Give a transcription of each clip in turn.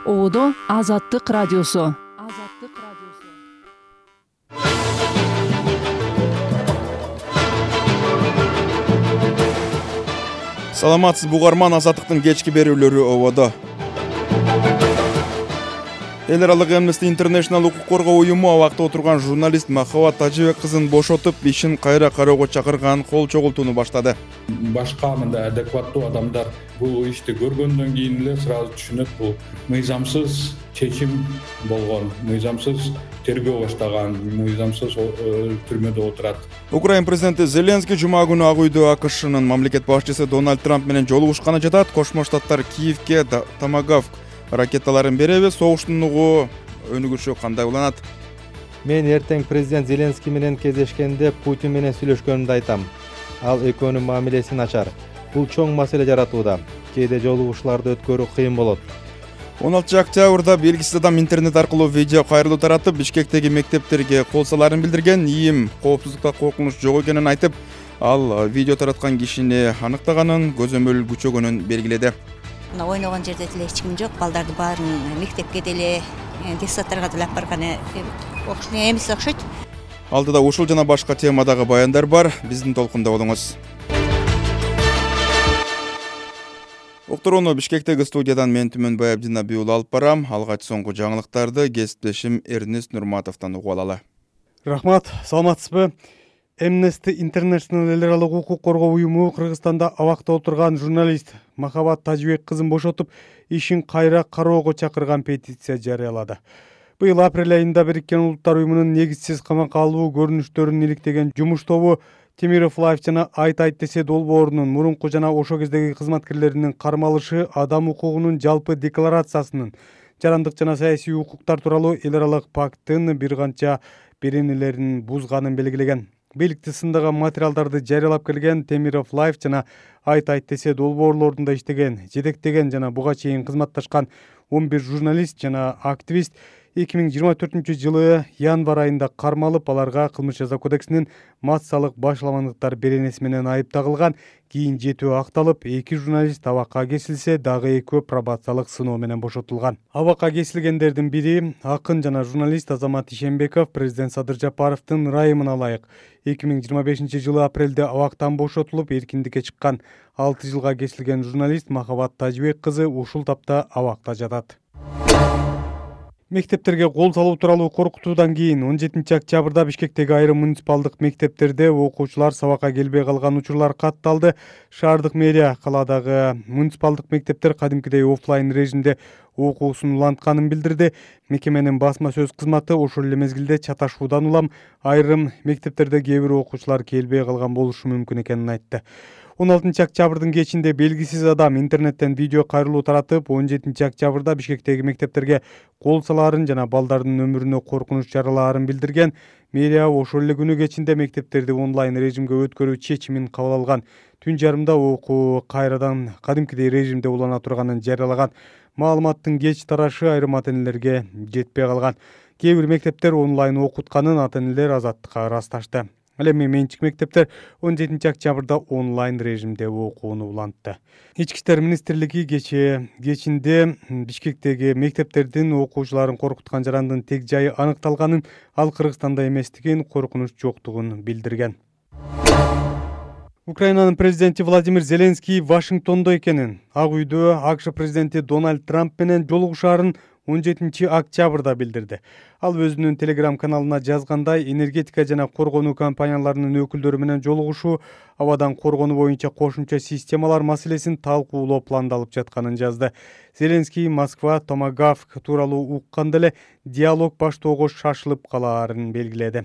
Одо Азаттык радиосу. Саламатсыз бугарман, Азаттыктын кечки берүүлөрү ободо. Эл аралык Amnesty International укук коргоо уюму абакта отурган журналист Махабат Тажыбек кызын бошотуп, ишин кайра кароого чакырган кол чогултууну баштады. Башка мындай адекваттуу адамдар бул ишти көргөндөн кийин эле сразу түшүнөт, бул мыйзамсыз чечим болгон, мыйзамсыз тергөө баштаган, мыйзамсыз түрмөдө отурат. Украина президенти Зеленский жума күнү Ак үйдө АКШнын мамлекет башчысы Дональд Трамп менен жолугушканы жатат. Кошмо Штаттар Киевке Томагавк ракеталарын береби, согуштун угу өнүгүшү кандай уланат? Мен эртең президент Зеленский менен кездешкенде Путин менен сүйлөшкөнүмдү айтам. Ал экөөнүн мамилеси начар. Бул чоң маселе жаратууда. Кээде жолугушууларды өткөрүү кыйын болот. 16 октябрда белгисиз адам интернет аркылуу видео кайрылуу таратып, Бишкектеги мектептерге кол саларын билдирген. ИИМ коопсуздукта коркунуч жок экенин айтып, ал видео тараткан кишини аныктаганын, көзөмөл күчөгөнүн белгиледи. Ойногон жерде деле эч ким жок. Балдарды баарын мектепке деле, детсадтарга деле алып барган эмес окшойт. Алдыда ушул жана башка темадагы баяндар бар. Биздин толкунда болуңуз. Уктурууну Бишкектеги студиядан мен Түмөнбай Абдинаби уулу алып барам. Алгач соңку жаңылыктарды кесиптешим Эрнест Нурматовдон угуп алалы. Рахмат, саламатсызбы? Amnesty International эл аралык укук коргоо уюму Кыргызстанда абакта отурган журналист Махабат Тажыбек кызын бошотуп, ишин кайра кароого чакырган петиция жарыялады. Быйыл апрель айында Бириккен Улуттар уюмунун негизсиз камакка алуу көрүнүштөрүн иликтеген жумуш тобу Темиров Лайф жана Айт десе долбоорунун мурунку жана ошо кездеги кызматкерлеринин кармалышы адам укугунун жалпы декларациясынын жарандык жана саясий укуктар тууралуу эл аралык пакттын бир канча беренелерин бузганын белгилеген. Бийликти сындаган материалдарды жарыялап келген Темиров Лайф жана Айт десе долбоорлорунда иштеген, жетектеген жана буга чейин кызматташкан 11 журналист жана активист 2024-жылы январь айында кармалып, аларга кылмыш жаза кодексинин массалык башаламандыктар беренеси менен айып тагылган. Кийин жетөө акталып, 2 журналист абакка кесилсе, дагы экөө пробациялык сыноо менен бошотулган. Абакка кесилгендердин бири акын жана журналист Азамат Ишенбеков президент Садыр Жапаровдун ырайымына ылайык 2025-жылы апрелде абактан бошотулуп, эркиндикке чыккан. 6 жылга кесилген журналист Махабат Тажыбек кызы ушул тапта абакта жатат. Мектептерге кол салуу тууралуу коркутуудан кийин 17 октябрда Бишкектеги айрым муниципалдык мектептерде окуучулар сабакка келбей калган учурлар катталды. Шаардык мэрия каладагы муниципалдык мектептер кадимкидей офлайн режимде окуусун улантканын билдирди. Мекеменин басма сөз кызматы ошол эле мезгилде чаташуудан улам айрым мектептерде кээ бир окуучулар келбей калган болушу мүмкүн экенин айтты. 16 октябрдын кечинде белгисиз адам интернеттен видео кайрылуу таратып, 17 октябрда Бишкектеги мектептерге кол салаарын жана балдардын өмүрүнө коркунуч жаралаарын билдирген. Мэрия ошол эле күнү кечинде мектептерди онлайн режимге өткөрүү чечимин кабыл алган. Түн жарымда окуу кайрадан кадимкидей режимде улана турганын жарыялаган. Маалыматтын кеч тарашы айрым ата-энелерге жетпей калган. Кээ бир мектептер онлайн окутканын ата-энелер Азаттыкка ырасташты. Ал эми менчик мектептер 17 октябрда онлайн режимде окууну улантты. Ички иштер министрлиги кечинде Бишкектеги мектептердин окуучуларын коркуткан жарандын тег жайы аныкталганын, ал Кыргызстанда эместигин, коркунуч жоктугун билдирген. Украинанын президенти Владимир Зеленский Вашингтондо экенин, Ак үйдө АКШ президенти Дональд Трамп менен жолугушаарын 17 октябрда билдирди. Ал өзүнүн Telegram каналына жазгандай, энергетика жана коргонуу компанияларынын өкүлдөрү менен жолугушуу абадан коргонуу боюнча кошумча системалар маселесин талкуулоо пландалып жатканын жазды. Зеленский Москва Томагавк тууралуу укканда эле диалог баштоого шашылып калаарын белгиледи.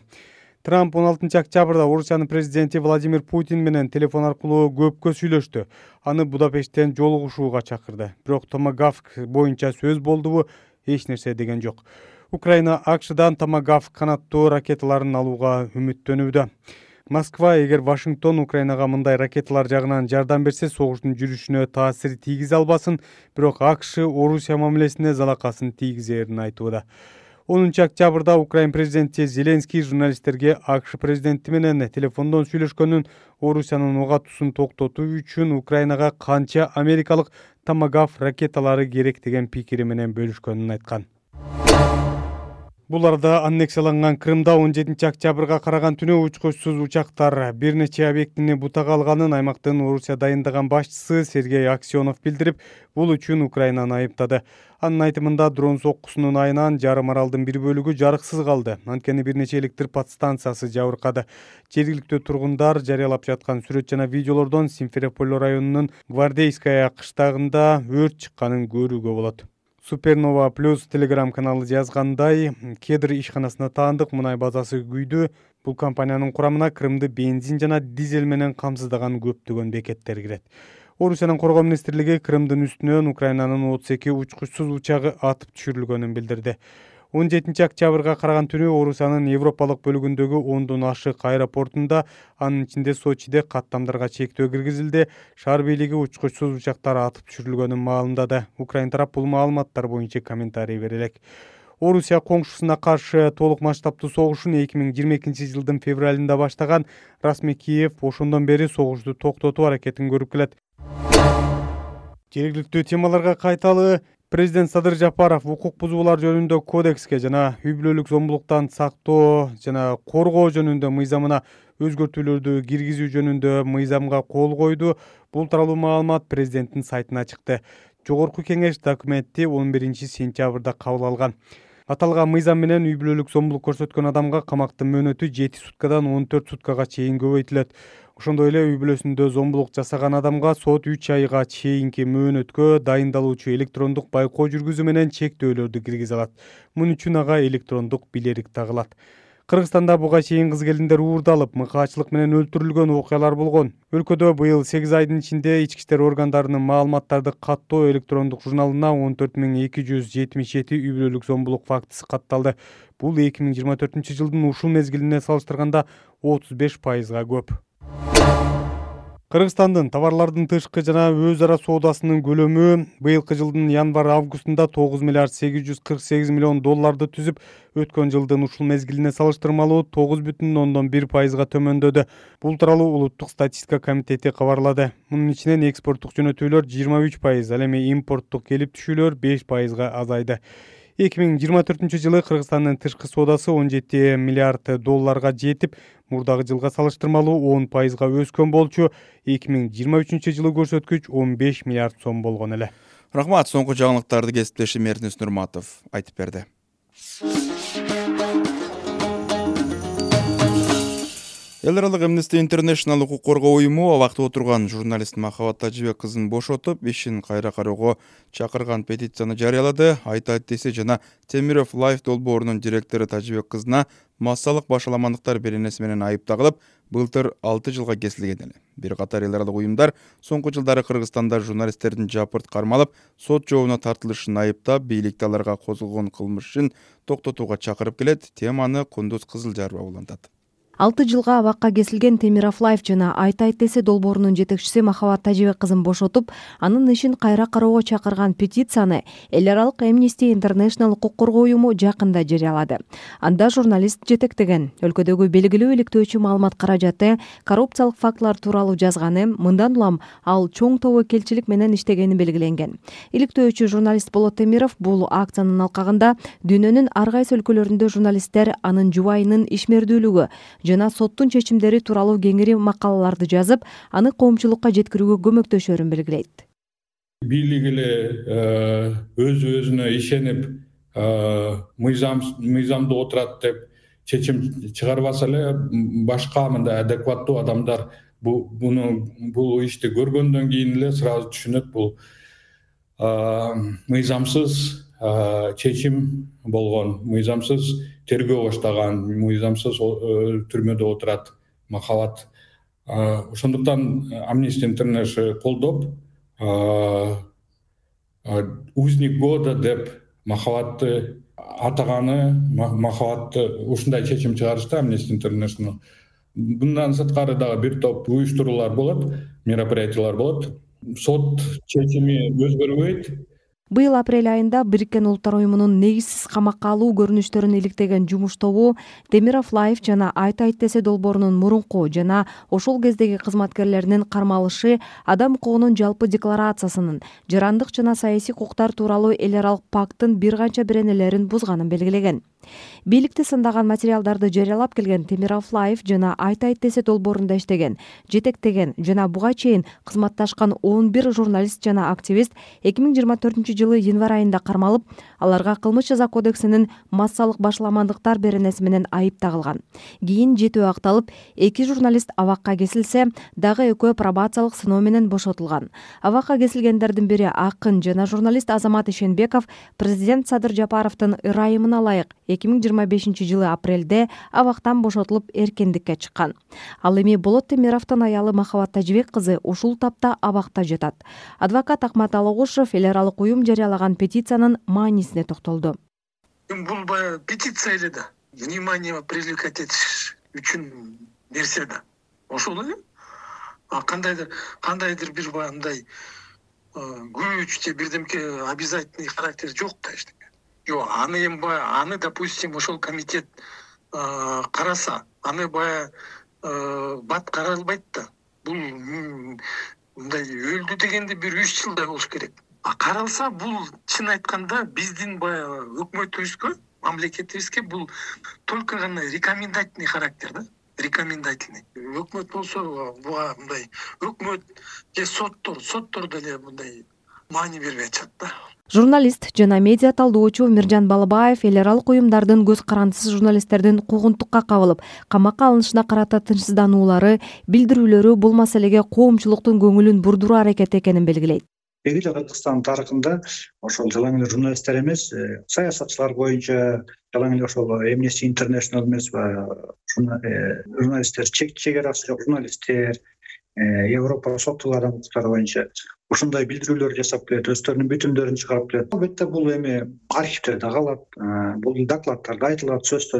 Трамп 16 октябрда Орусиянын президенти Владимир Путин менен телефон аркылуу көпкө сүйлөштү. Аны Будапешттен жолугушууга чакырды. Бирок Томагавк боюнча сөз болдубу, эч нерсе деген жок. Украина АКШдан Томагавк канаттуу ракеталарын алууга үмүттөнүүдө. Москва эгер Вашингтон Украинага мындай ракеталар жагынан жардам берсе, согуштун жүрүшүнө таасир тийгизе албасын, бирок АКШ Орусия мамилесине залакасын тийгизерин айтууда. Октябрда Украин президенти Зеленский журналисттерге АКШ президенти менен телефондон сүйлөшкөнүн, Орусиянын ок атуусун токтотуу үчүн Украинага канча америкалык Томагавк ракеталары керек деген пикири менен бөлүшкөнүн айткан. Бул арада аннексияланган Крымда 17 октябрга караган түнү учкучсуз учактар бир нече объектини бутага алганын аймактын Орусия дайындаган башчысы Сергей Аксенов билдирип, бул үчүн Украинаны айыптады. Анын айтымында дрон соккусунун айынан жарым аралдын бир бөлүгү жарыксыз калды. Анткени бир нече электр подстанциясы жабыркады. Жергиликтүү тургундар жарыялап жаткан сүрөт жана видеолордон Симферополь районунун Гвардейская кыштагында өрт чыкканын көрүүгө болот. Супернова Плюс телеграм каналы жазгандай, Кедр ишканасына таандык мунай базасы күйдү. Бул компаниянын курамына Крымды бензин жана дизель менен камсыздаган көптөгөн бекеттер кирет. Орусиянын коргоо министрлиги Крымдын үстүнөн Украинанын 32 учкучсуз учагы атып түшүрүлгөнүн билдирди. 17 октябрга караган түнү Орусиянын Европалык бөлүгүндөгү 10дон ашык аэропортунда, анын ичинде Сочиде каттамдарга чектөө киргизилди. Шаар бийлиги учкучсуз учактар атып түшүрүлгөнүн маалымдады. Украин тарап бул маалыматтар боюнча комментарий бере элек. Орусия коңшусуна каршы толук масштабтуу согушун 2022 жылдын февралында баштаган. Расмий Киев ошондон бери согушту токтотуу аракетин көрүп келет. Жергиликтүү темаларга кайталы. Президент Садыр Жапаров укук бузуулар жөнүндө кодекске жана үй бүлөлүк зомбулуктан сактоо жана коргоо жөнүндө мыйзамына өзгөртүүлөрдү киргизүү жөнүндө мыйзамга кол койду. Бул тууралуу маалымат президенттин сайтына чыкты. Жогорку кеңеш документти 11 сентябрда кабыл алган. Аталган мыйзам менен үй бүлөлүк зомбулук көрсөткөн адамга камактын мөөнөтү 7 суткадан 14 суткага чейин көбөйтүлөт. Ошондой эле үй бүлөсүндө зомбулук жасаган адамга сот 3 айга чейинки мөөнөткө дайындалуучу электрондук байкоо жүргүзүү менен чектөөлөрдү киргизе алат. Муну үчүн ага электрондук билерик тагылат. Кыргызстанда буга чейин кыз-келиндер уурдалып, мыкаачылык менен өлтүрүлгөн окуялар болгон. Өлкөдө быйыл 8 айдын ичинде ички иштер органдарынын маалыматтарды каттоо электрондук журналына 14277 үй бүлөлүк зомбулук фактысы катталды. Бул 2024 жылдын ушул мезгилине салыштырганда 35%га көп. Кыргызстандын товарлардын тышкы жана өз ара соодасынын көлөмү быйылкы жылдын январь-августунда 9 миллиард 848 миллион долларды түзүп, өткөн жылдын ушул мезгилине салыштырмалуу 9,1%га төмөндөдү. Бул тууралуу Улуттук статистика комитети кабарлады. Мунун ичинен экспорттук жөнөтүүлөр 23%, ал эми импорттук келип түшүүлөр 5%га азайды. 2024 жылы Кыргызстандын тышкы соодасы 17 миллиард долларга жетип, мурдагы жылга салыштырмалуу 10%га өскөн болчу. 2023 жылы көрсөткүч 15 миллиард сом болгон эле. Рахмат, соңку жаңылыктарды кесиптешим Эрдинес Нурматов айтып берди. Эл аралык Amnesty International укук коргоо уюму абакта отурган журналист Махабат Тажибек кызын бошотуп, ишин кайра кароого чакырган петицияны жарыялады. Айтайт десе жана Темиров Life долбоорунун директору Тажибек кызына массалык башаламандыктар беренеси менен айып тагылып, былтыр 6 жылга кесилген эле. Бир катар эл аралык уюмдар соңку жылдары Кыргызстанда журналисттердин жапырт кармалып, сот жообуна тартылышын айыптап, бийликти аларга козголгон кылмышын токтотууга чакырып келет. Теманы Кундуз Кызылжарова улантат. 6 жылга абакка кесилген Темиров Life жана Айтайт десе долбоорунун жетекчиси Махабат Тажибек кызын бошотуп, анын ишин кайра кароого чакырган петицияны эл аралык Amnesty International укук коргоо уюму жакында жарыялады. Анда журналист жетектеген өлкөдөгү белгилүү иликтөөчү маалымат каражаты коррупциялык фактылар тууралуу жазганы, мындан улам ал чоң тобокелчилик менен иштегени белгиленген. Иликтөөчү журналист Болот Темиров бул акциянын алкагында дүйнөнүн ар кайсы өлкөлөрүндө журналисттер анын жубайынын ишмердүүлүгү жана соттун чечимдери тууралуу кеңири макалаларды жазып, аны коомчулукка жеткирүүгө көмөктөшөрүн белгилейт. Бийлик эле өзүнө ишенип, мыйзамды отурат деп чечим чыгарбаса эле, башка мындай адекваттуу адамдар бул ишти көргөндөн кийин эле сразу түшүнөт, бул мыйзамсыз чечим болгон, мыйзамсыз тергөө баштаган, мыйзамсыз түрмөдө отурат Махабат. Ошондуктан Amnesty International колдоп, узник года деп Махабатты атаганы, Махабатты ушундай чечим чыгарышты Amnesty International. Bundan сырткары дагы бир топ уюштуруулар болот, мероприятиялар болот. Сот чечими өзгөрбөйт. Быйыл апрель айында Бириккен Улуттар уюмунун негизсиз камакка алуу көрүнүштөрүн иликтеген жумуш тобу Темиров Лайф жана Айт десе долбоорунун мурунку жана ошол кездеги кызматкерлеринин кармалышы адам укугунун жалпы декларациясынын, жарандык жана саясий укуктар тууралуу эл аралык пакттын бир канча беренелерин бузганын белгилеген. Бийликти сындаган материалдарды жарыялап келген Темиров Лайф жана Айт десе долбоорунда иштеген, жетектеген жана буга чейин кызматташкан 11 журналист жана активист 2024-жылы январь айында кармалып, аларга кылмыш жаза кодексинин массалык башламандыктар беренеси менен айып тагылган. Кийин жетөө акталып, 2 журналист абакка кесилсе, дагы экөө пробациялык сыноо менен бошотулган. Абакка кесилгендердин бири акын жана журналист Азамат Ишенбеков президент Садыр Жапаровдун ырайымына ылайык 2025-жылы апрелде абактан бошотулуп эркиндикке чыккан. Ал эми Болот Темировдун аялы Махабат Тажибек кызы ушул тапта абакта жатат. Адвокат Акмат Алогушев эл аралык уюм жарыялаган петициянын маанисине токтолду. Бул баягы петиция эле да. Внимание привлекать этиш үчүн нерсе да. Ошол эле. Кандайдыр бир баягындай күч же бирдемке обязательный характер жок да эчтеке. Жок, аны эми аны допустим ошол комитет караса, аны баягы бат каралбайт да. Бул мындай өлдү дегенде бир 3 жылдай болуш керек. Каралса бул чын айтканда биздин баягы өкмөтүбүзгө, мамлекетибизге бул только гана рекомендательный характер да. Рекомендательный. Өкмөт болсо буга мындай өкмөт же соттор деле мындай маани бербей атышат да. Журналист жана медиа талдоочу Миржан Балабаев эл аралык уюмдардын көз карандысыз журналисттердин куугунтукка кабылып, камакка алынышына карата тынчсыздануулары, билдирүүлөрү бул маселеге коомчулуктун көңүлүн бурдуруу аракети экенин белгилейт. Эле Кыргызстан тарыхында ошол жалаң эле журналисттер эмес, саясатчылар боюнча жалаң эле ошол Amnesty International эмес, журналисттер, чек арасы жок журналисттер, Европа соттук адам укуктары боюнча ушундай билдирүүлөр жасап келет, өздөрүнүн бүтүмдөрүн чыгарып келет. Албетте бул эми архивтерде калат, бул докладтарда айтылат, сөз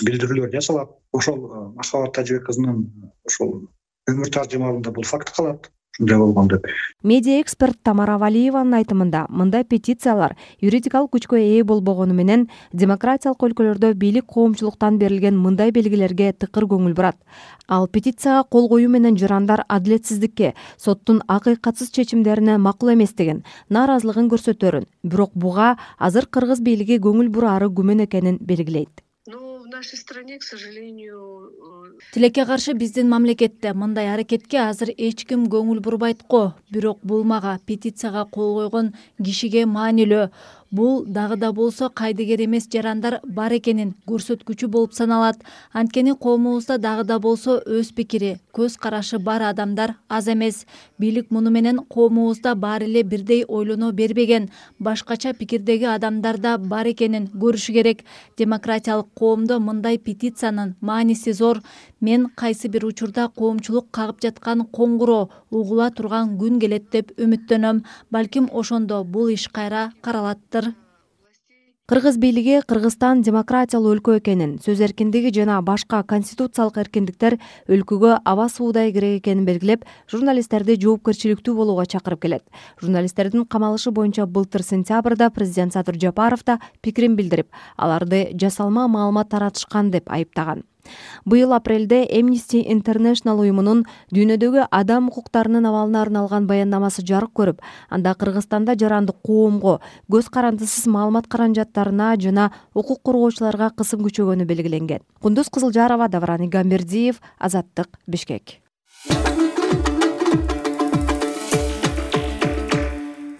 билдирүүлөр жасалат. Ошол Махабат Тажибек кызынын ошол өмүр таржымалында бул факт калат. Ушундай болгон деп. Медиа эксперт Тамара Валиеванын айтымында, мындай петициялар юридикалык күчкө ээ болбогону менен демократиялык өлкөлөрдө бийлик коомчулуктан берилген мындай белгилерге тыкыр көңүл бурат. Ал петицияга кол коюу менен жарандар адилетсиздикке, соттун акыйкатсыз чечимдерине макул эместигин, нааразылыгын көрсөтөрүн, бирок буга азыр кыргыз бийлиги көңүл бурары күмөн экенин белгилейт. В нашей стране, к сожалению, Тилекке каршы биздин мамлекетте мындай аракетке азыр эч ким көңүл бурбайт го. Бирок бул мага петицияга кол койгон кишиге маанилүү. Бул дагы да болсо кайдыгер эмес жарандар бар экенин көрсөткүчү болуп саналат. Анткени коомубузда дагы да болсо өз пикири, көз карашы бар адамдар аз эмес. Бийлик муну менен коомубузда баары эле бирдей ойлоно бербеген, башкача пикирдеги адамдар да бар экенин көрүшү керек. Демократиялык коомдо мындай петициянын мааниси зор. Мен кайсы бир учурда коомчулук кагып жаткан коңгуроо угула турган күн келет деп үмүттөнөм. Балким ошондо бул иш кайра каралаттыр. Кыргыз бийлиги Кыргызстан демократиялуу өлкө экенин, сөз эркиндиги жана башка конституциялык эркиндиктер өлкөгө аба суудай керек экенин белгилеп, журналисттерди жоопкерчиликтүү болууга чакырып келет. Журналисттердин камалышы боюнча былтыр сентябрда президент Садыр Жапаров да пикирин билдирип, аларды жасалма маалымат таратышкан деп айыптаган. Быйыл апрелде Amnesty International уюмунун дүйнөдөгү адам укуктарынын абалына арналган баяндамасы жарык көрүп, анда Кыргызстанда жарандык коомго, көз карандысыз маалымат каражаттарына жана укук коргоочуларга кысым күчөгөнү белгиленген. Кундуз Кызылжарова, Давран Игамбердиев, Азаттык, Бишкек.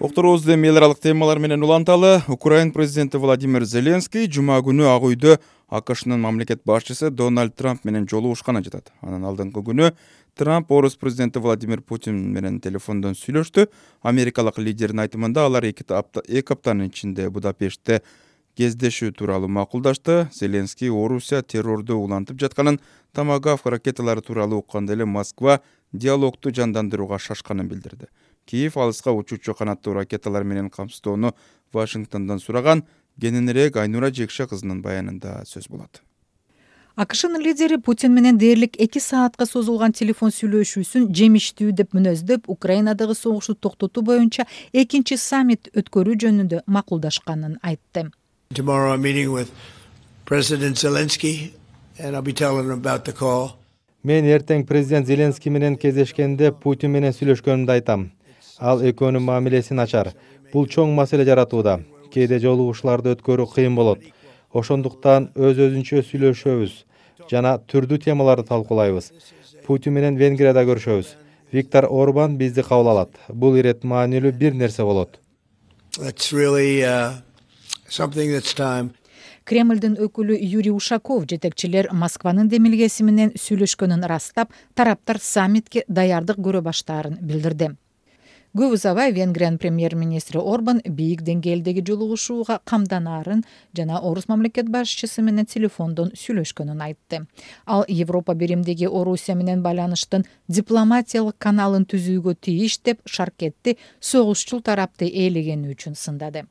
Окторубузду эми эл аралык темалар менен уланталы. Украина президенти Владимир Зеленский жума күнү Ак үйдө АКШнын мамлекет башчысы Дональд Трамп менен жолугушканы жатат. Анан алдыңкы күнү Трамп орус президенти Владимир Путин менен телефондон сүйлөштү. Америкалык лидердин айтымында алар эки аптанын ичинде Будапештте кездешүү тууралуу макулдашты. Зеленский Орусия террорду улантып жатканын, Томагавк ракеталары тууралуу укканда эле Москва диалогду жандандырууга шашканын билдирди. Киев алыска учуучу канаттуу ракеталар менен камсыздоону Вашингтондон сураган. Кененирээк Айнура Жекше кызынын баянында сөз болот. АКШнын лидери Путин менен дээрлик 2 саатка созулган телефон сүйлөшүүсүн жемиштүү деп мүнөздөп, Украинадагы согушту токтотуу боюнча экинчи саммит өткөрүү жөнүндө макулдашканын айтты. Tomorrow I'm meeting with President Zelensky and I'll be telling him about the call. Мен эртең президент Зеленский менен кездешкенде Путин менен сүйлөшкөнүмдү айтам. Ал экөөнүн мамилесин ачар. Бул чоң маселе жаратууда. Кээде жолугушууларды өткөрүү кыйын болот. Ошондуктан өз-өзүнчө сүйлөшөбүз жана түрдүү темаларды талкуулайбыз. Путин менен Венгрияда көрүшөбүз. Виктор Орбан бизди кабыл алат. Бул ирет маанилүү бир нерсе болот. That's really something that's time. Кремлдин өкүлү Юрий Ушаков жетекчилер Москванын демилгеси менен сүйлөшкөнүн ырастап, тараптар саммитке даярдык көрө баштаарын билдирди. Көп узабай Венгриянын премьер-министри Орбан бийик деңгээлдеги жолугушууга камданаарын жана Орус мамлекет башчысы менен телефондон сүйлөшкөнүн айтты. Ал Европа биримдиги Орусия менен байланыштын дипломатиялык каналын түзүүгө тийиш деп шаркетти согушчул тарапты ээлегени үчүн сындады.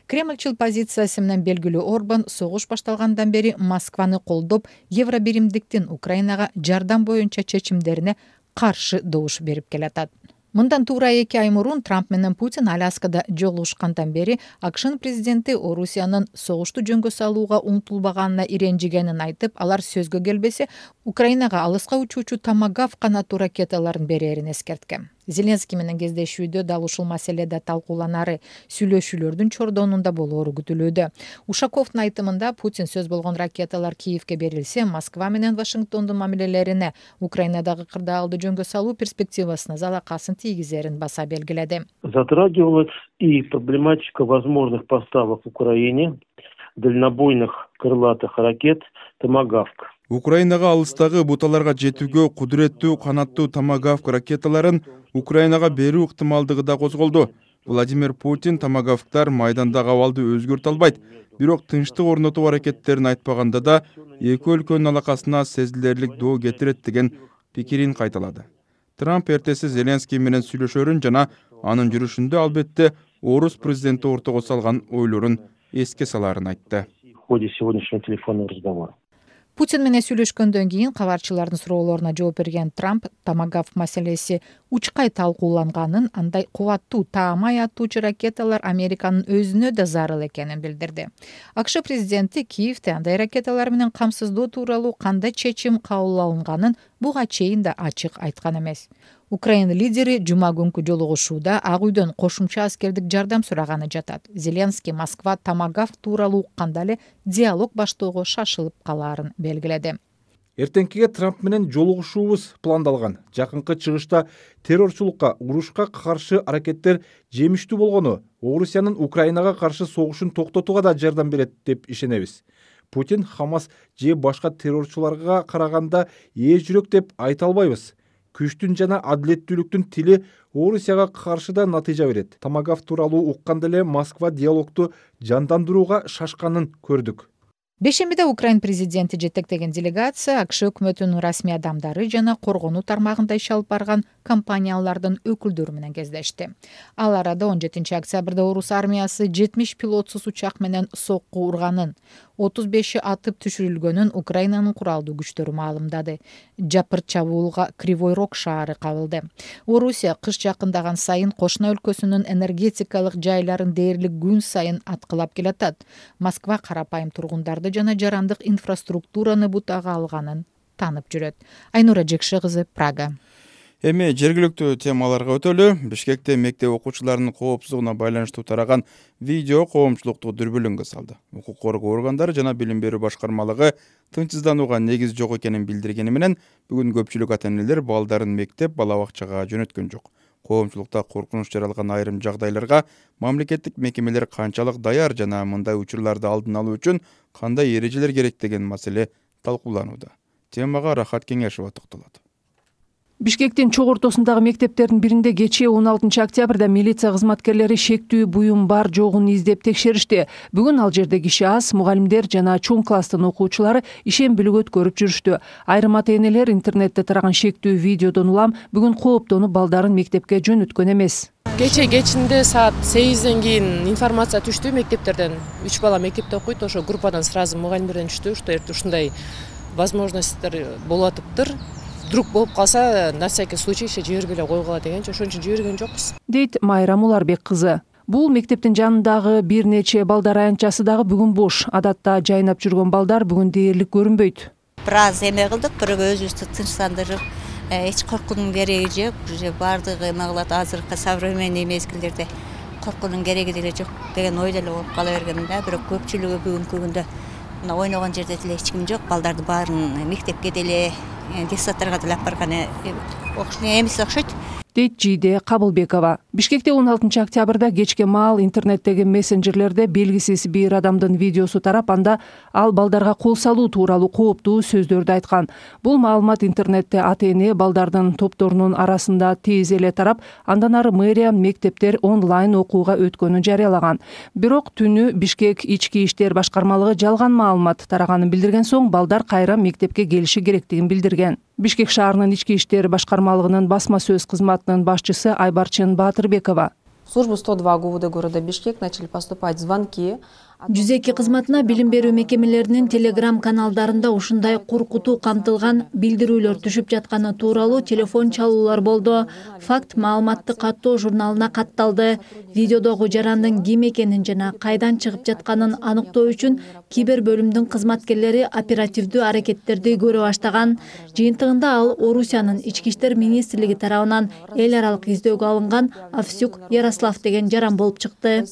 Кремлчил позициясы менен белгилүү Орбан согуш башталгандан бери Москваны колдоп, Евро биримдиктин Украинага жардам боюнча чечимдерине каршы добуш берип келатат. Мындан туура 2 ай мурун Трамп менен Путин Аляскада жолугушкандан бери АКШнын президенти Орусиянын согушту жөнгө салууга умтулбаганына иренжигенин айтып, алар сөзгө келбесе, Украинага алыска учуучу Томагавк канаттуу ракеталарын берерин эскерткен. Зеленский менен кездешүүдө дал ушул маселеде талкууланары, сүйлөшүүлөрдүн чордонунда болоору күтүлүүдө. Ушаковдун айтымында Путин сөз болгон ракеталар Киевке берилсе, Москва менен Вашингтондун мамилелерине, Украинадагы кырдаалды жөнгө салуу перспективасына залакасын тийгизерин баса белгиледи. Затрагивалась и проблематика возможных поставок в Украине дальнобойных крылатых ракет «Томагавк». Украинага алыстагы буталарга жетүүгө кудуреттүү канаттуу Томагавк ракеталарын Украинага берүү ыктымалдыгы да козголду. Владимир Путин Томагавктар майдандагы абалды өзгөртө албайт, бирок тынчтык орнотуу аракеттерин айтпаганда да эки өлкөнүн алакасына сезилерлик доо кетирет деген пикирин кайталады. Трамп эртеси Зеленский менен сүйлөшөрүн жана анын жүрүшүндө албетте Орус президенти ортого салган ойлорун эске салаарын айтты. В ходе сегодняшнего телефонного разговора. Путин менен сүйлөшкөндөн кийин кабарчылардын суроолоруна жооп берген Трамп Томагавк маселеси учкай талкууланганын, андай кубаттуу таамай атуучу ракеталар Американын өзүнө да зарыл экенин билдирди. АКШ президенти Киевде андай ракеталар менен камсыздоо тууралуу кандай чечим кабыл алынганын буга чейин да ачык айткан эмес. Украина лидери жума күнкү жолугушууда Ак үйдөн кошумча аскердик жардам сураганы жатат. Зеленский Москва Томагавк тууралуу укканда эле диалог баштоого шашылып калаарын белгиледи. Эртеңкиге Трамп менен жолугушуубуз пландалган. Жакынкы чыгышта террорчулукка, урушка каршы аракеттер жемиштүү болгону Орусиянын Украинага каршы согушун токтотууга да жардам берет деп ишенебиз. Путин Хамас же башка террорчуларга караганда ээ жүрөк деп айта албайбыз. Күчтүн жана адилеттүүлүктүн тили Орусияга каршы да натыйжа берет. Томагавк тууралуу укканда эле Москва диалогду жандандырууга шашканын көрдүк. Бешембиде Украин президенти жетектеген делегация АКШ өкмөтүнүн расмий адамдары жана коргонуу тармагында иш алып барган компаниялардын өкүлдөрү менен кездешти. Ал арада 17 октябрда Орус армиясы 70 пилотсуз учак менен сокку урганын, 35 атып түшүрүлгөнүн Украинанын куралдуу күчтөрү маалымдады. Жапыр чабуулга Кривой Рог шаары кабылды. Орусия кыш жакындаган сайын кошуна өлкөсүнүн энергетикалык жайларын дээрлик күн сайын аткылап келатат. Москва карапайым тургундарды жана жарандык инфраструктураны бутага алганын танып жүрөт. Айнура Жекше кызы, Прага. Эми жергиликтүү темаларга өтөлү. Бишкекте мектеп окуучуларынын коопсуздугуна байланыштуу тараган видео коомчулукту дүрбүлүнгө салды. Укук коргоо органдары жана билим берүү башкармалыгы тынчсызданууга негиз жок экенин билдиргени менен бүгүн көпчүлүк ата-энелер балдарын мектеп, бала бакчага жөнөткөн жок. Коомчулукта коркунуч жаралган айрым жагдайларга мамлекеттик мекемелер канчалык даяр жана мындай учурларды алдын алуу үчүн кандай эрежелер керек деген маселе талкууланууда. Темага Рахат Кеңешова токтолот. Бишкектин чок ортосундагы мектептердин биринде кечээ 16 октябрда милиция кызматкерлери шектүү буюм бар жогун издеп текшеришти. Бүгүн ал жерде киши аз, мугалимдер жана чоң класстын окуучулары ишембилик өткөрүп жүрүштү. Айрым ата-энелер интернетте тараган шектүү видеодон улам бүгүн кооптонуп балдарын мектепке жөнөткөн эмес. Кечинде саат 8ден кийин информация түштү мектептерден. 3 бала мектепте окуйт, ошо группадан сразу мугалимдерден түштү, что ушундай возможностьтер болуп атыптыр. Вдруг болуп калса, на всякий случай жибербей эле койгула дегенче ошон үчүн жиберген жокпуз. Дейт Майрам Уларбек кызы. Бул мектептин жанындагы бир нече балдар аянтчасы дагы бүгүн бош. Адатта жайнап жүргөн балдар бүгүн дээрлик көрүнбөйт. Бир аз эме кылдык, бирок өзүбүздү тынчтандырып, эч коркуунун кереги жок. Уже бардыгы эме кылат, азыркы современный мезгилдерде коркуунун кереги деле жок деген ойдо эле болуп кала берген да. Бирок көпчүлүгү бүгүнкү күндө мына ойногон жерде деле эч ким жок. Балдарды баарын мектепке деле, детсадтарга деле алып барган эмес окшойт. Дейт Жийде Кабылбекова. Бишкекте 16 октябрда кечке маал интернеттеги мессенджерлерде белгисиз бир адамдын видеосу тарап, анда ал балдарга кол салуу тууралуу кооптуу сөздөрдү айткан. Бул маалымат интернетте ата-эне балдардын топторунун арасында тез эле тарап, андан ары мэрия мектептер онлайн окууга өткөнүн жарыялаган. Бирок түнү Бишкек ички иштер башкармалыгы жалган маалымат тараганын билдирген соң, балдар кайра мектепке келиши керектигин билдирген. Бишкек шаарынын ички иштер башкармалыгынын басма сөз кызматынын башчысы Айбарчын Баатырбекова. Службу 102 ГУВД города Бишкек начали поступать звонки. 102 кызматына билим берүү мекемелеринин телеграм каналдарында ушундай коркутуу камтылган билдирүүлөр түшүп жатканы тууралуу телефон чалуулар болду. Факт маалыматты каттоо журналына катталды. Видеодогу жарандын ким экенин жана кайдан чыгып жатканын аныктоо үчүн кибер бөлүмдүн кызматкерлери оперативдүү аракеттерди көрө баштаган. Жыйынтыгында ал Орусиянын ички иштер министрлиги тарабынан эл аралык издөөгө алынган Авсюк Ярослав деген жаран болуп чыкты.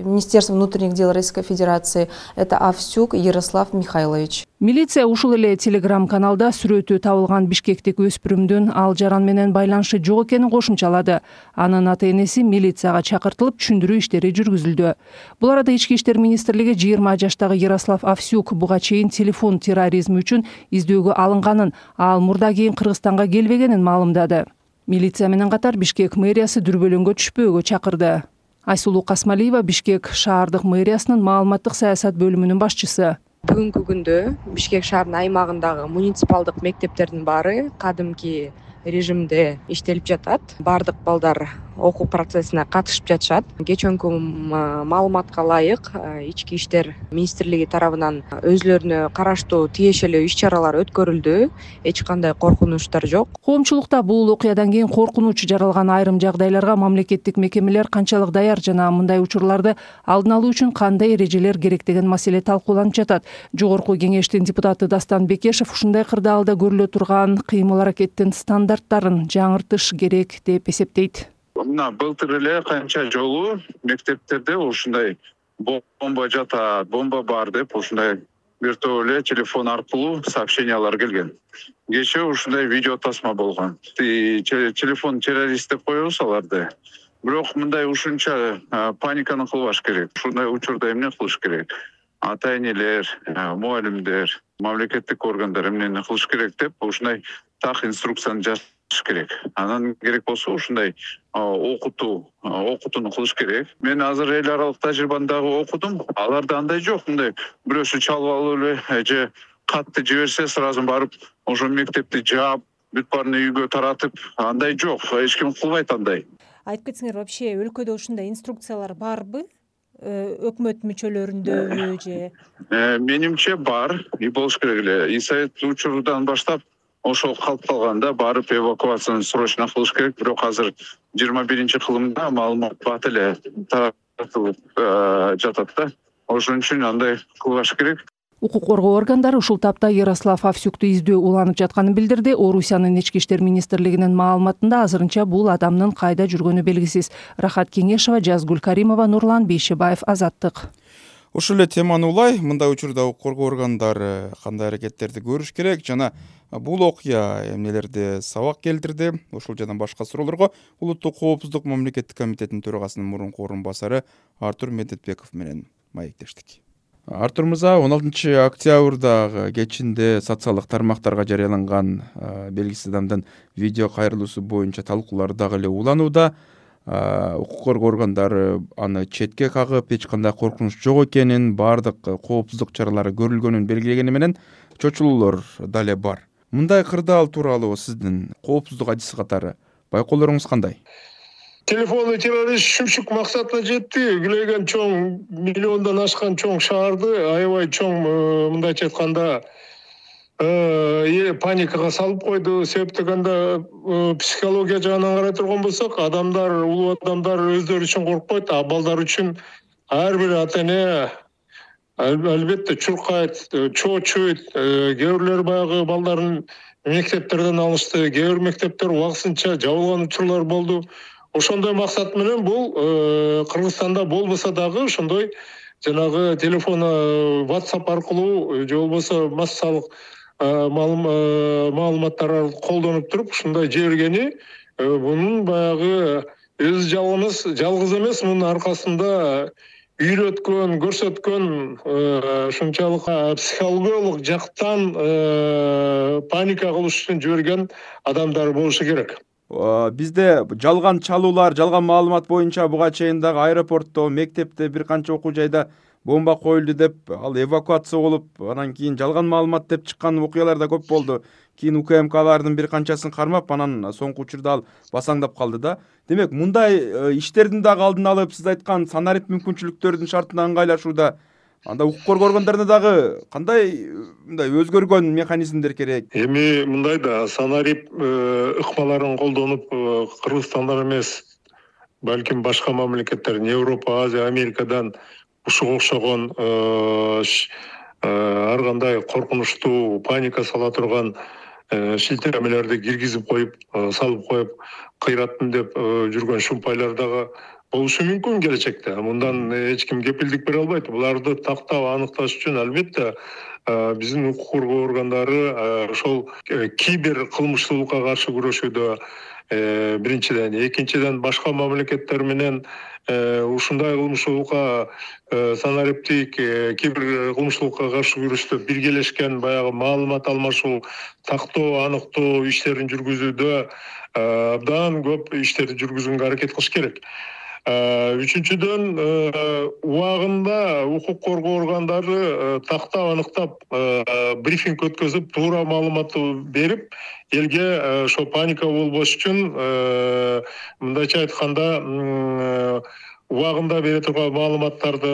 Министерство внутренних дел Российской Федерации это Авсюк Ярослав Михайлович. Милиция ушул эле телеграм-каналда сүрөтү табылган бишкектик өспүрүмдүн ал жаран менен байланышы жок экенин кошумчалады. Анын ата-энеси милицияга чакыртылып, түшүндүрүү иштери жүргүзүлдү. Бул арада ички иштер министрлиги 20 жаштагы Ярослав Авсюк буга чейин телефон терроризми үчүн издөөгө алынганын, ал мурда кийин Кыргызстанга келбегенин маалымдады. Милиция менен катар Бишкек мэриясы дүрбөлөңгө түшпөөгө чакырды. Айсулуу Касмалиева, Бишкек шаардык мэриясынын маалыматтык саясат бөлүмүнүн башчысы. Бүгүнкү күндө Бишкек шаарынын аймагындагы муниципалдык мектептердин баары кадимки режимде иштелип жатат. Бардык балдар окуу процессине катышып жатышат. Кечөнкү маалыматка ылайык ички иштер министрлиги тарабынан өзүлөрүнө караштуу тиешелүү иш-чаралар өткөрүлдү. Эч кандай коркунучтар жок. Коомчулукта бул окуядан кийин коркунуч жаралган айрым жагдайларга мамлекеттик мекемелер канчалык даяр жана мындай учурларды алдын алуу үчүн кандай эрежелер керек деген маселе талкууланып жатат. Жогорку кеңештин депутаты Дастан Бекешев ушундай кырдаалда көрүлө турган кыймыл-аракеттин стандарттарын жаңыртыш керек деп эсептейт. Мына былтыр эле канча жолу мектептерде ушундай бомба жатат, бомба бар деп ушундай бир топ эле телефон аркылуу сообщениялар келген. Кечээ ушундай видео тасма болгон. Телефон террорист деп коебуз аларды. Бирок мындай ушунча паниканы кылбаш керек. Ушундай учурда эмне кылыш керек? Ата-энелер, мугалимдер, мамлекеттик органдар эмнени кылыш керек деп ушундай так инструкцияны жазыш керек. Анан керек болсо ушундай окутууну кылыш керек. Мен азыр эл аралык тажрыйбаны дагы окудум. Аларда андай жок, мындай бирөөсү чалып алып эле же катты жиберсе сразу барып ошо мектепти жаап, бүт баарын үйгө таратып, андай жок. Эч ким кылбайт андай. Айтып кетсеңер, вообще өлкөдө ушундай инструкциялар барбы? Өкмөт мүчөлөрүндө же? Менимче бар, и болуш керек эле. И совет учурунан баштап ошол калып калганда барып эвакуацияны срочно кылыш керек. Бирок азыр 21-кылымда маалымат бат эле таратылып жатат да. Ошон үчүн андай кылбаш керек. Укук коргоо органдары ушул тапта Ярослав Авсюкту издөө уланып жатканын билдирди. Орусиянын ички иштер министрлигинин маалыматында азырынча бул адамдын кайда жүргөнү белгисиз. Рахат Кеңешова, Жазгүл Каримова, Нурлан Бейшебаев, Азаттык. Ушул эле теманы улай, мындай учурда укук коргоо органдары кандай аракеттерди көрүш керек жана бул окуя эмнелерди сабак келтирди? Ушул жана башка суроолорго Улуттук коопсуздук мамлекеттик комитетинин төрагасынын мурунку орун басары Артур Медетбеков менен маектештик. Артур мырза, 16 октябрдагы кечинде социалдык тармактарга жарыяланган белгисиз адамдын видео кайрылуусу боюнча талкуулар дагы эле уланууда. Укук коргоо органдары аны четке кагып, эч кандай коркунуч жок экенин, бардык коопсуздук чаралары көрүлгөнүн белгилегени менен чочулуулар дале бар. Мындай кырдаал тууралуу сиздин коопсуздук адиси катары байкоолоруңуз кандай? Телефонный террорист шүмшүк максатына жетти. Күлөйгөн чоң, миллиондон ашкан чоң шаарды, аябай чоң, мындайча айтканда, паникага салып койду. Себеп дегенде психология жагынан карай турган болсок, улуу адамдар өздөрү үчүн коркпойт, а балдар үчүн ар бир ата эне албетте чуркайт, чоочойт. Кээ бирлери баягы балдарын мектептерден алышты, кээ бир мектептер убактысынча жабылган учурлар болду. Ошондой максат менен бул Кыргызстанда болбосо дагы ошондой жанагы телефон WhatsApp аркылуу же болбосо массалык маалыматтар колдонуп туруп ушундай жибергени, бунун баягы өзү жалгыз эмес, мунун аркасында үйрөткөн, көрсөткөн ушунчалык психологиялык жактан паника кылыш үчүн жиберген адамдар болушу керек. Бизде жалган чалуулар, жалган маалымат боюнча буга чейин дагы аэропортто, мектепте, бир канча окуу жайда бомба коюлду деп, ал эвакуация болуп, анан кийин жалган маалымат деп чыккан окуялар да көп болду. Кийин УКМКлардын бир канчасын кармап, анан соңку учурда ал басаңдап калды да. Демек, мындай иштердин дагы алдын алып, сиз айткан санарип мүмкүнчүлүктөрдүн шартына ыңгайлашууда, анда укук коргонгондордо дагы кандай мындай өзгөргөн механизмдер керек? Эми мындай да, санарип ыкмаларын колдонуп, Кыргызстандан эмес, балким башка мамлекеттерден, Европа, Азия, Америкадан ушуга окшогон ар кандай коркунучтуу, паника сала турган шилтемелерди киргизип коюп, салып коюп, кыйратмын деп жүргөн шумпайлар дагы болушу мүмкүн келечекте. Мындан эч ким кепилдик бере албайт. Буларды тактап аныкташ үчүн албетте биздин укук коргоо органдары ошол кибер кылмыштуулукка каршы күрөшүүдө биринчиден, экинчиден башка мамлекеттер менен ушундай кылмыштуулукка, санариптик кибер кылмыштуулукка каршы күрөштө биргелешкен баягы маалымат алмашуу, тактоо, аныктоо иштерин жүргүзүүдө абдан көп иштерди жүргүзүүгө аракет кылыш керек. Үчүнчүдөн, убагында укук коргоо органдары тактап, аныктап, брифинг өткөзүп, туура маалыматты берип, элге ошо паника болбош үчүн, мындайча айтканда, убагында бере турган маалыматтарды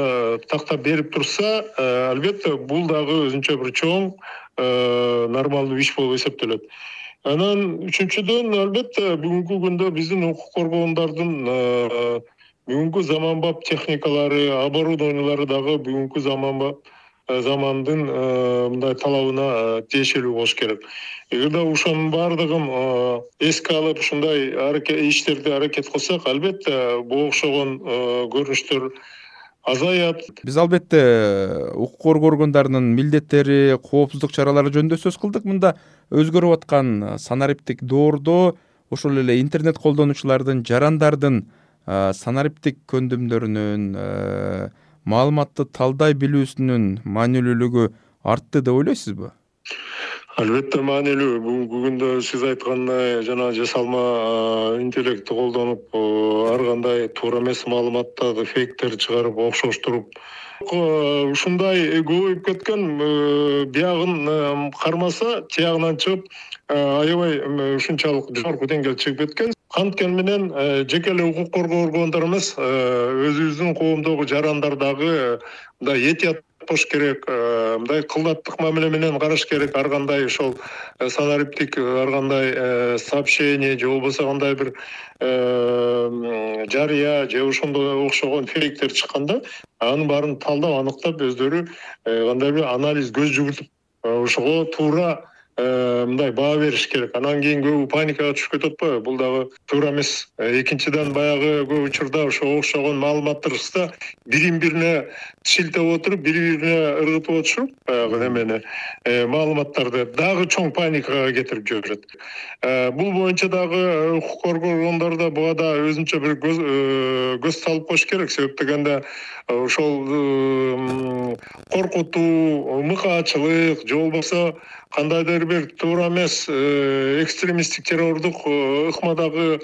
тактап берип турса, албетте бул дагы өзүнчө бир чоң нормалдуу иш болуп эсептелет. Анан үчүнчүдөн, албетте бүгүнкү күндө биздин укук коргоондордун бүгүнкү заманбап техникалары, оборудованиялары дагы бүгүнкү замандын мындай талабына тиешелүү болуш керек. Эгерде ошонун баардыгын эске алып, ушундай иштерди аракет кылсак, албетте буга окшогон көрүнүштөр азаят. Биз албетте укук коргоо органдарынын милдеттери, коопсуздук чаралары жөнүндө сөз кылдык. Мында өзгөрүп аткан санариптик доордо ошол эле интернет колдонуучулардын, жарандардын санариптик көндүмдөрүнүн, маалыматты талдай билүүсүнүн маанилүүлүгү артты деп ойлойсузбу? Албетте маанилүү. Бүгүнкү күндө сиз айткандай жана жасалма интеллектти колдонуп, ар кандай туура эмес маалыматтарды, фейктерди чыгарып, окшоштуруп, ушундай көбөйүп кеткен, биягын кармаса, тиягынан чыгып, аябай ушунчалык жогорку деңгээлге чыгып кеткен. Анткени менен жеке эле укук коргоо органдары эмес, өзүбүздүн коомдогу жарандар дагы мындай этият болуш керек, мындай кылдаттык мамиле менен караш керек. Ар кандай ошол санариптик, ар кандай сообщение же болбосо кандай бир жарыя же ошондой окшогон фейктер чыкканда, анын баарын талдап, аныктап, өздөрү кандай бир анализ көз жүгүртүп, ошого туура мындай баа бериш керек. Анан кийин көбү паникага түшүп кетип атпайбы? Бул дагы туура эмес. Экинчиден, баягы көп учурда ошо окшогон маалыматтарда бирин бирине шилтеп отуруп, бири-бирине ыргытып отушуп, баягы немени, маалыматтарды дагы чоң паникага кетирип жиберет. Бул боюнча дагы укук коргоо органдары буга да өзүнчө бир көз салып коюш керек. Себеп дегенде ошол коркутуу, мыкаачылык же болбосо кандайдыр бир туура эмес экстремисттик террордук ыкмадагы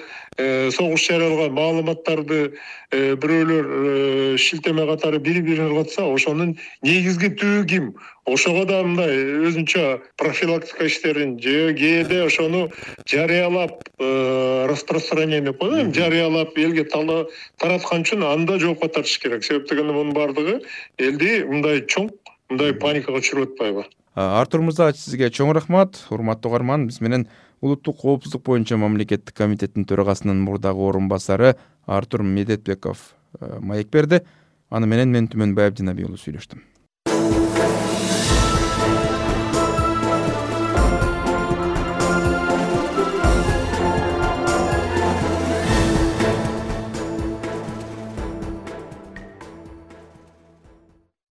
согуш жарыялган маалыматтарды бирөөлөр шилтеме катары бири-бирин ыргытса, ошонун негизги түбү ким? Ошого да мындай өзүнчө профилактика иштерин же кээде ошону жарыялап, распространение деп коет, жарыялап элге тараткан үчүн анда жоопко тартыш керек. Себеп дегенде мунун баардыгы элди мындай чоң, мындай паникага түшүрүп атпайбы? Артур мырза, сизге чоң рахмат. Урматтуу угарман, биз менен улуттук коопсуздук боюнча мамлекеттик комитеттин төрагасынын мурдагы орун басары Артур Медетбеков маек берди. Аны менен мен Түмөнбай Абдинабиулу сүйлөштүм.